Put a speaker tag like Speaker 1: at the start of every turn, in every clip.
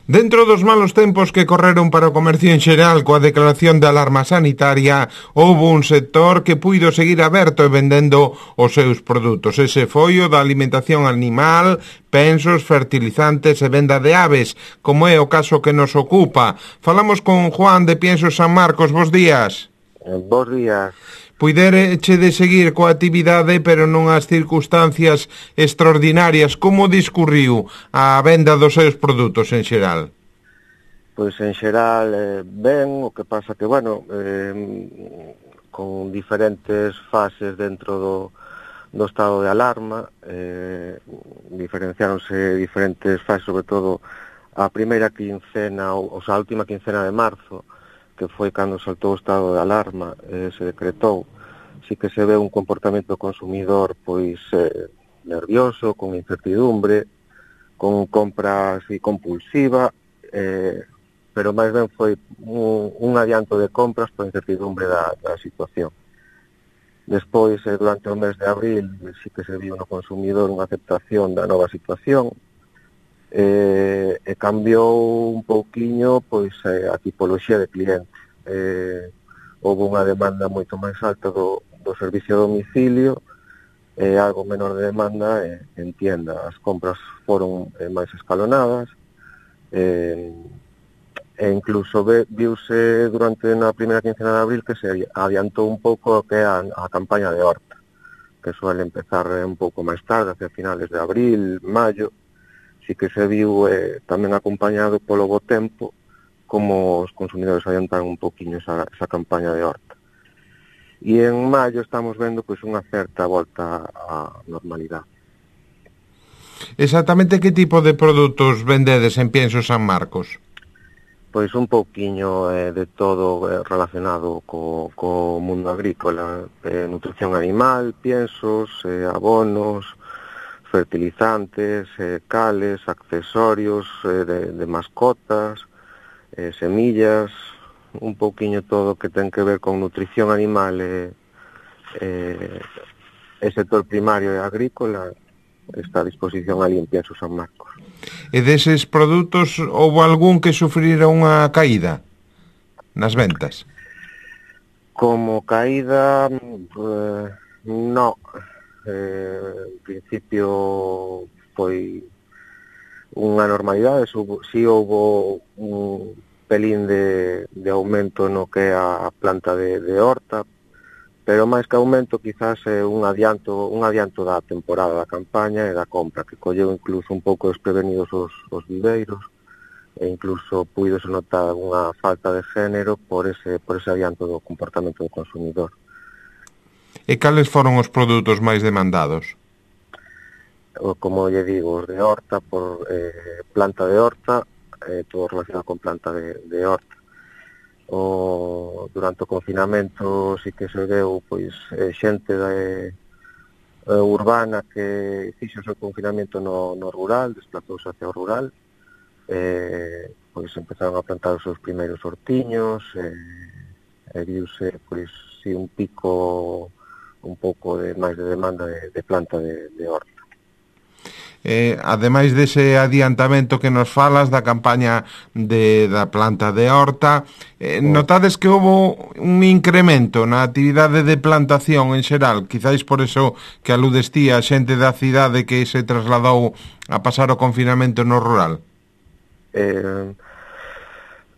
Speaker 1: Dentro dos malos tempos que correron para o comercio en xeral coa declaración de alarma sanitaria, houbo un sector que puido seguir aberto e vendendo os seus produtos. Ese foi o da alimentación animal, pensos, fertilizantes e venda de aves, como é o caso que nos ocupa. Falamos con Juan de Piensos San Marcos. Bos días.
Speaker 2: Bos días.
Speaker 1: Puidereche de seguir coa actividade, pero non as circunstancias extraordinarias. Como discurriu a venda dos seus produtos en xeral?
Speaker 2: Pois en xeral ben, o que pasa que, con diferentes fases dentro do estado de alarma, diferenciáronse diferentes fases, sobre todo a primeira quincena, a última quincena de marzo, que foi cando saltou o estado de alarma, se decretou. Sí que se ve un comportamento consumidor pois nervioso, con incertidumbre, con compra así compulsiva, pero máis ben foi un adianto de compras por incertidumbre da situación. Despois, durante o mes de abril, sí que se viu no consumidor unha aceptación da nova situación, e cambiou un pouquiño pois a tipoloxía de cliente. Houve unha demanda moito máis alta do servicio a domicilio e algo menor de demanda en tienda. As compras foron máis escalonadas e incluso viuse durante na primeira quincena de abril que se adiantou un pouco o que é a campaña de horta, que suele empezar un pouco máis tarde, hacia finales de abril, maio. Sí que se viu tamén acompañado polo bo tempo, como os consumidores adiantaron un poquinho esa campaña de horta. E en maio estamos vendo pois unha certa volta á normalidade.
Speaker 1: Exactamente que tipo de produtos vendedes en Piensos San Marcos?
Speaker 2: Pois un pouquiño de todo relacionado co mundo agrícola, nutrición animal, piensos, abonos, fertilizantes, cales, accesorios de mascotas, semillas, un pouquiño todo que ten que ver con nutrición animal e sector primario e agrícola está a disposición ali en Piensos San Marcos.
Speaker 1: E deses produtos houve algún que sufrira unha caída nas ventas?
Speaker 2: Como caída, no. En principio foi unha normalidade, si houve un pelín de aumento no que é a planta de horta, pero máis que aumento quizás é un adianto da temporada da campaña e da compra, que colleu incluso un pouco desprevenidos os viveiros e incluso puidose notar unha falta de género por ese adianto do comportamento do consumidor.
Speaker 1: E cales foron os produtos máis demandados?
Speaker 2: Como lle digo, os de horta, por planta de horta, todo relacionado con planta de horta. Durante o confinamento sí que se veu pois xente urbana que fixo o seu confinamento no rural, desplazouse hacia o rural, pois empezaron a plantar os seus primeiros hortiños, e viuse pois si un pico un pouco máis de demanda de planta de horta.
Speaker 1: Ademais dese adiantamento que nos falas da campaña da planta de horta, notades que houve un incremento na actividade de plantación en xeral, quizáis por eso que aludes ti a xente da cidade que se trasladou a pasar o confinamento no rural?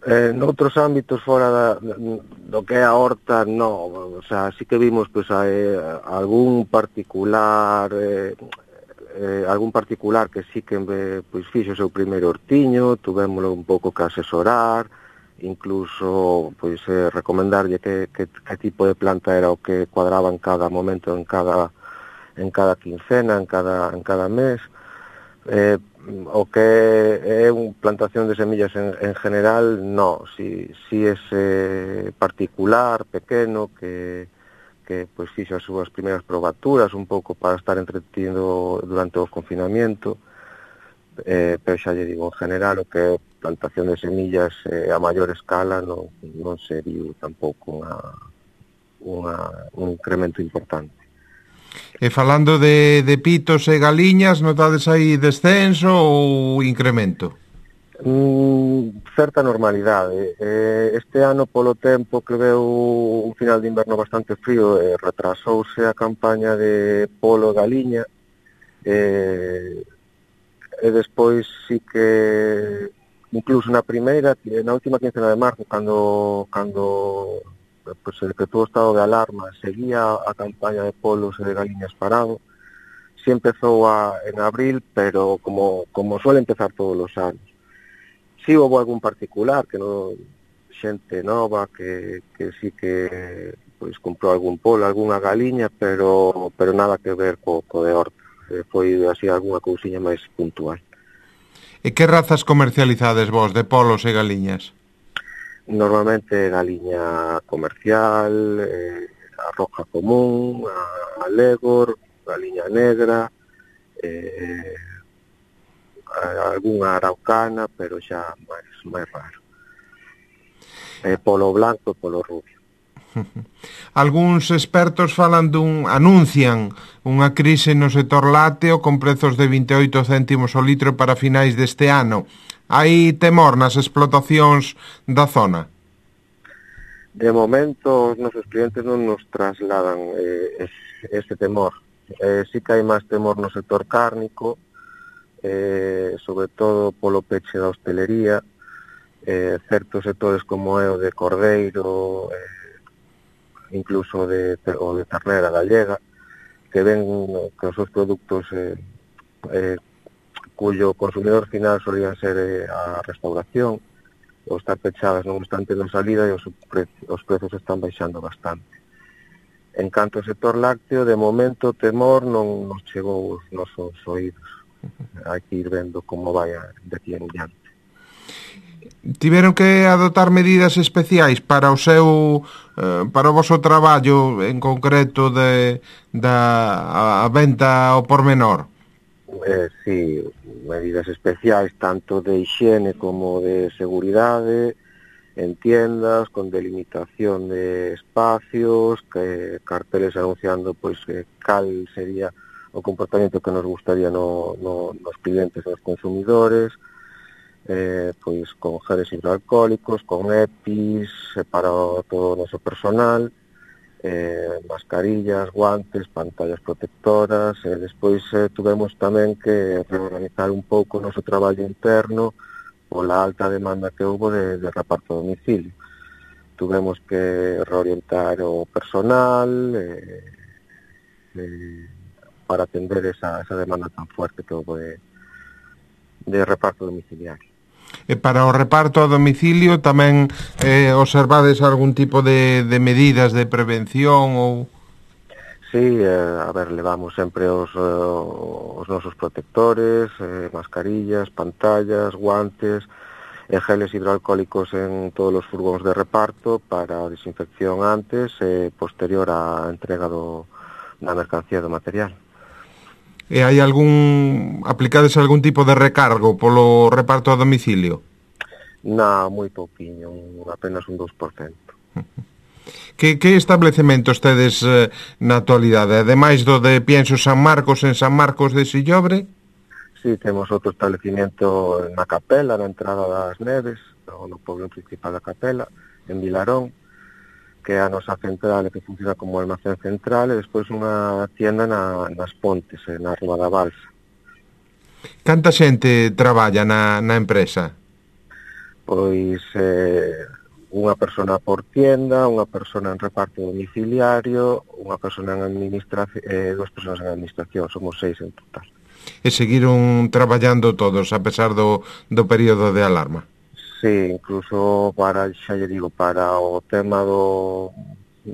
Speaker 2: Noutros ámbitos fora do que é a horta, no, o sea, sí que vimos pois algún particular que sí que pois fixo o seu primeiro hortiño, tuvémolo un pouco que asesorar, incluso pois recomendarlle que tipo de planta era o que cuadraba en cada momento, en cada quincena, en cada mes. O que é unha plantación de semillas en general, no, si ese particular, pequeno, que pois fixo as súas primeiras probaturas un pouco para estar entretido durante o confinamento, pero xa lle digo, en general o que é plantación de semillas a maior escala non se viu tampouco un incremento importante.
Speaker 1: E falando de pitos e galiñas, notades aí descenso ou incremento?
Speaker 2: certa normalidade. Este ano, polo tempo que veu un final de inverno bastante frío, retrasouse a campaña de polo e galiña, e despois sí que incluso na última quincena de marzo, cando pues, se decretou o estado de alarma, seguía a campaña de polos e de galiñas parado. Sí empezou en abril, pero como suele empezar todos os anos. Sí houve algún particular que non, xente nova que sí que pois comprou algún polo, algunha galiña, pero nada que ver co de horta. Foi así algunha cousiña máis puntual.
Speaker 1: E que razas comercializades vos de polos e galiñas?
Speaker 2: Normalmente galiña comercial, a roja común, a legor, galiña negra, algunha araucana, pero xa máis raro. Polo blanco e polo rubio.
Speaker 1: Algúns expertos anuncian unha crise no sector lácteo con prezos de 28 céntimos o litro para finais deste ano. Hai temor nas explotacións da zona?
Speaker 2: De momento, os nosos clientes non nos trasladan ese temor. Sí que hai máis temor no sector cárnico, sobre todo polo peche da hostelería, certos sectores como é o de cordeiro, incluso o de ternera gallega, que ven que os seus produtos cuyo consumidor final solían ser a restauración, ou estar pechadas non están tendo salida e os prezos están baixando bastante. En canto ao sector lácteo, de momento o temor non nos chegou aos nosos oídos. Hai que ir vendo como vai de aquí en diante.
Speaker 1: Tiveron que adoptar medidas especiais para o voso traballo en concreto da venta ao por menor?
Speaker 2: Sí, medidas especiais tanto de higiene como de seguridade en tiendas, con delimitación de espacios, carteles anunciando pois cal sería o comportamento que nos gustaría nos clientes, nos consumidores, pois con geles hidroalcohólicos, con EPIs para todo o noso personal, mascarillas, guantes, pantallas protectoras, despois tuvemos tamén que reorganizar un pouco o noso traballo interno pola alta demanda que houve de reparto a domicilio. Tuvemos que reorientar o personal para atender esa demanda tan fuerte que houve de reparto domiciliario.
Speaker 1: E para o reparto a domicilio tamén observades algún tipo de medidas de prevención ou...
Speaker 2: Sí, levamos sempre os nosos protectores, mascarillas, pantallas, guantes, geles hidroalcohólicos en todos os furgóns de reparto para a desinfección antes e posterior á entrega da mercancía do material.
Speaker 1: E hai aplicades algún tipo de recargo polo reparto a domicilio?
Speaker 2: Non, moi pouquiño, apenas un 2%.
Speaker 1: Que establecemento tedes na actualidade? Ademais do de Pienso San Marcos en San Marcos de Sillobre?
Speaker 2: Sí, temos outro establecimiento na Capela, na entrada das Neves, no poblado principal da Capela, en Vilarón, que é a nosa central que funciona como almacén central, e despois unha tienda nas Pontes, na Rúa da Balsa.
Speaker 1: Canta xente traballa na empresa?
Speaker 2: Pois unha persona por tienda, unha persona en reparto domiciliario, unha persona en administración, 2 persoas en administración, somos 6 en total.
Speaker 1: E seguiron traballando todos a pesar do período de alarma?
Speaker 2: Sí, incluso para o tema do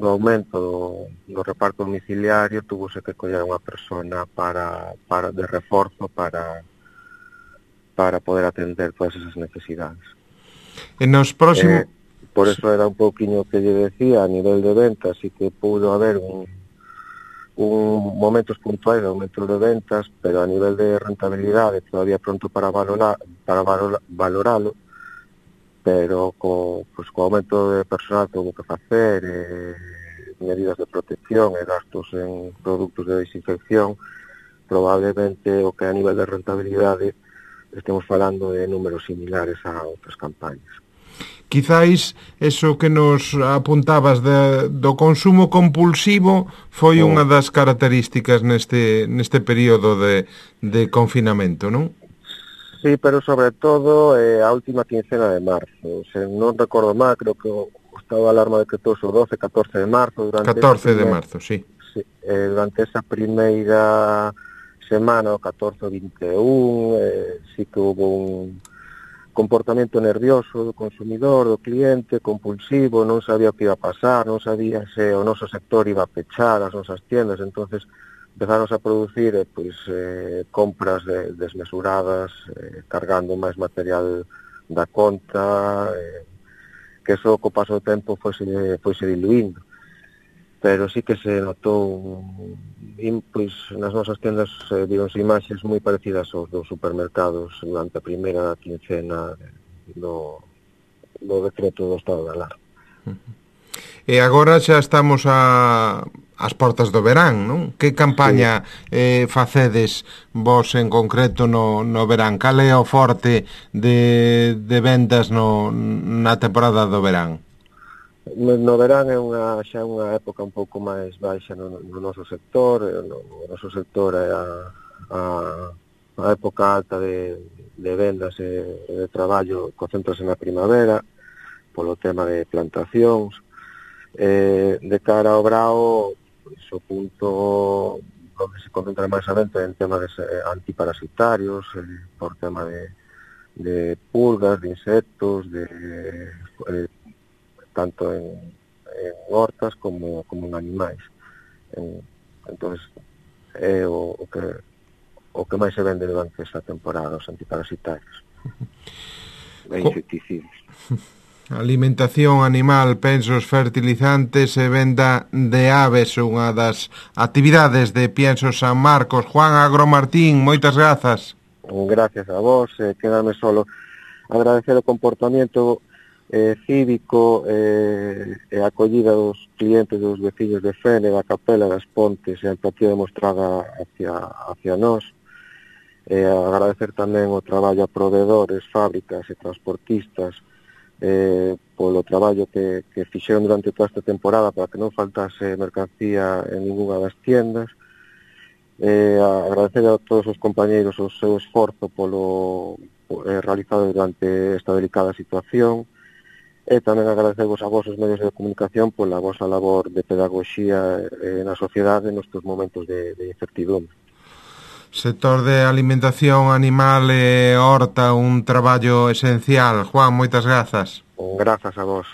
Speaker 2: aumento do reparto domiciliario tuvose que coller unha persona para de reforzo para poder atender todas esas necesidades.
Speaker 1: E nos próximos...
Speaker 2: Por eso era un pouquiño que lle decía, a nivel de ventas, sí que pudo haber un momentos puntuais de aumento de ventas, pero a nivel de rentabilidade todavía pronto para valoralo, pero co aumento de personal que houve que facer, medidas de protección e gastos en produtos de desinfección, probablemente o que a nivel de rentabilidade estemos falando de números similares a outras campañas.
Speaker 1: Quizáis eso que nos apuntabas do consumo compulsivo foi unha das características neste período de confinamento, non?
Speaker 2: Sí, pero sobre todo a última quincena de marzo. Se non recordo mal, creo que o estado de alarma decretouse o 12, 14 de marzo.
Speaker 1: 14 de marzo, sí.
Speaker 2: Sí, durante esa primeira semana, o 14 o 21, sí que hubo un comportamento nervioso do consumidor, do cliente, compulsivo, non sabía o que iba a pasar, non sabía se o noso sector iba a pechar as nosas tiendas, entonces empezaron a producir compras desmesuradas, cargando máis material da conta, que eso co paso do tempo foise diluindo. Pero sí que se notou pois nas nosas tendas vironse imaxes moi parecidas aos dos supermercados durante a primeira quincena do decreto do estado de alarma.
Speaker 1: E agora xa estamos ás portas do verán, non? Que campaña facedes vos en concreto no verán? Cal é o forte de vendas na temporada do verán?
Speaker 2: No verán é xa unha época un pouco máis baixa no noso sector. O noso sector é a época alta de vendas e de traballo, concéntrase na primavera polo tema de plantacións. De cara ao brao, o punto onde se concentra máis a venta en temas antiparasitarios, por tema de pulgas, de insectos, tanto en hortas como en animais. Entón, é o que máis se vende durante esta temporada, os antiparasitarios e insecticidas.
Speaker 1: Alimentación animal, pensos, fertilizantes e venda de aves, unha das actividades de Piensos San Marcos. Juan Agromartín, moitas grazas.
Speaker 2: Gracias a vos. Quedame solo agradecer o comportamento cívico e a acollida dos clientes, dos veciños de Fene, da Capela, das Pontes, e a empatía demostrada hacia nós. Agradecer tamén o traballo a proveedores, fábricas e transportistas polo traballo que fixeron durante toda esta temporada para que non faltase mercancía en ninguna das tiendas. Agradecer a todos os compañeiros o seu esforzo polo realizado durante esta delicada situación. E tamén agradecemos a vos os medios de comunicación pola vosa labor de pedagogía na sociedade nestes momentos de incertidumbre.
Speaker 1: Sector de alimentación animal e horta, un traballo esencial. Juan, moitas grazas.
Speaker 2: Grazas a vos.